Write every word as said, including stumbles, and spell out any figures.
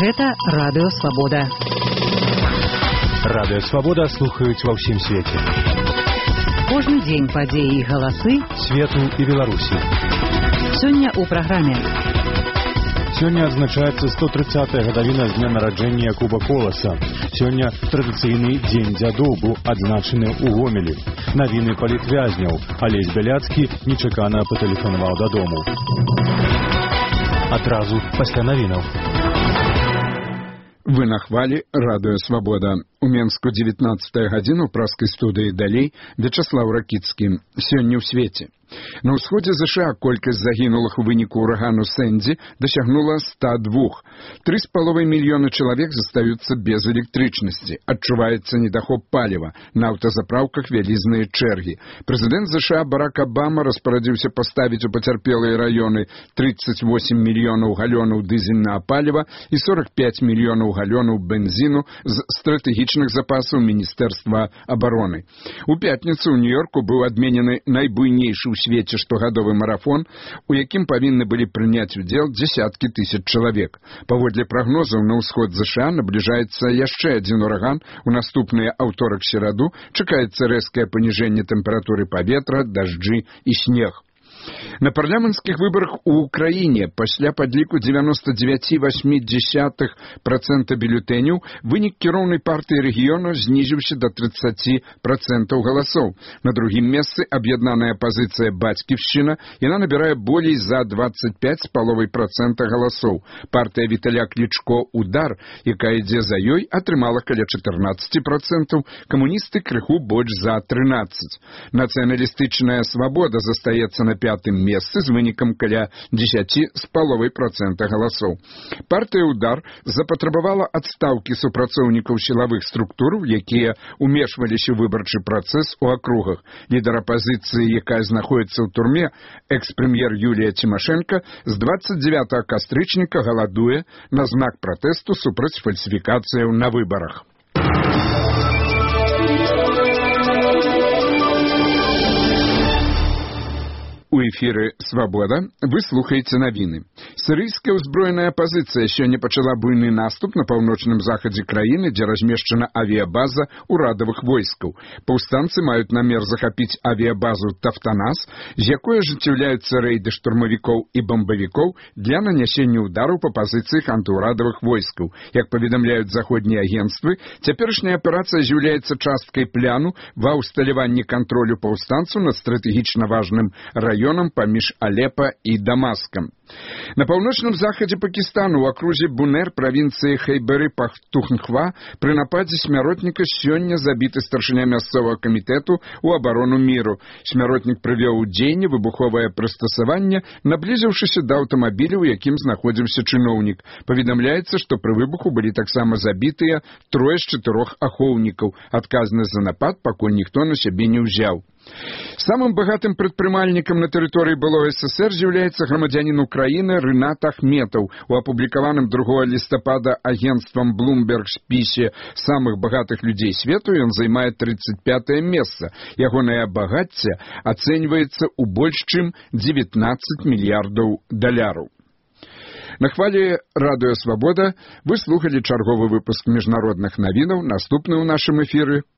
Гэта Радыё Свабода. Радыё Свабода слухаюць ва ўсім свеце. Кожны дзень падзеі і галасы свету і Беларусі. Сёння ў праграме. Сёння адзначаецца сто трыццатая гадавіна з дня нараджэння Куба Коласа. Сёння традыцыйны дзень дзядоў быў адзначаны ў Гомелі. Навіны палітвязняў. Алесь Бяляцкі нечакана патэлефанаваў дадому. Адразу пасля навінаў. Вы на хвалі Радыё Свабода. У Менску дзевятнаццатая гадзіна ў праскай студыі далей Вячаслаў Ракіцкі. Сёння ў свеце. На ўсходзе ЗША колькасць загінулых у выніку урагану Сэнді дасягнула ста двух. Тры з паловай мільёны чалавек застаюцца без электрычнасці. Адчуваецца недахоп паліва. На аўтазапраўках вялізныя чэргі. Прэзідэнт ЗША Барак Абама распарадзіўся паставіць у пацярпелыя раёны трыццаць восем мільёнаў галёнаў дызельнага паліва і сорок пяць мільёнаў галёнаў бензіну з стратэгічных запасаў Міністэрства абароны. У пятніцу ў Нью-Йорку быў адменены найбуйнейшы ў свеце штогадовы марафон, у якім павінны былі прыняць удзел дзесяткі тысяч чалавек. Паводле прагнозаў, на ўсход ЗША набліжаецца яшчэ адзін ураган. У наступныя аўторак-сераду чакаецца рэзкае паніжэнне тэмпературы паветра, дажджы і снег. На парламенцкіх выбарах у Украіне пасля падліку дзевяноста дзевяць і васьмі дзесятых працэнта бюлетэняў вынік кіроўнай партыі рэгіёну знізіўся да трыццаць працэнтаў галасоў. На другім месцы аб'яднаная апазіцыя «Бацьківшчына», яна набірае болей за дваццаць пяць з паловай працэнта галасоў. Партыя Віталя Клічко «Удар», якая ідзе за ёй, атрымала каля чатырнаццаць працэнтаў, камуністы крыху больш за трынаццаць. Нацыяналістычная «Свабода» застаецца на пятым месцы з вынікам каля дзесяць з паловай працэнта галасоў. Партыя «Удар» запатрабавала адстаўкі супрацоўнікаў сілавых структур, якія умешваліся ў выбарчы працэс у акругах. Лідар апазіцыі, якая знаходіцца ў турме, экс-прэм'ер Юлія Цімашэнка, з дваццаць дзевятага кастрычніка галадуе на знак пратэсту супраць фальсіфікацыяў на выбарах. У эфіры «Свабода» вы слухаеце навіны. Сірыйская ўзброеная апазіцыя сёння пачала буйны наступ на паўночным захадзе краіны, дзе размешчана авіябаза ўрадавых войскаў. Паўстанцы маюць намер захапіць авіябазу Тафтанас, з якой ажыццяўляюцца рэйды штурмавікоў і бамбавікоў для нанясення ўдараў па пазіцыях антыўрадавых войскаў. Як паведамляюць заходнія агенцтвы, цяперашняя аперацыя з'яўляецца часткай пляну ва ўсталяванні кантролю паўстанцаў над стратэгічна важным раёнам паміж Алепа і Дамаскам. На паўночным захадзе Пакістану ў акрузе Бунер правінцыі Хайбары-Пахтунхва пры нападзе смяротніка сёння забіты старшыня мясцовага камітэту ў абарону міру. Смяротнік прывёў у дзеянне выбуховае прыстасаванне, наблізіўшыся да аўтамабіля, у якім знаходзіўся чыноўнік. Паведамляецца, што пры выбуху былі таксама забітыя трое з чатырох ахоўнікаў. Адказнасць за напад пакуль ніхто на сябе не ўзяў. Самым багатым прадпрымальнікам на тэрыторыі былога СССР з'яўляецца грамадзянін Украіны Рынат Ахметаў. У апублікаваным другога лістапада агенцтвам Bloomberg спісе самых багатых людзей свету ён займае трыццаць пятае месца. Ягонае багацце ацэньваецца ў больш чым дзевятнаццаць мільярдаў даляраў. На хвалі Радыё Свабода вы слухалі чарговы выпуск міжнародных навінаў. Наступны ў нашым эфіры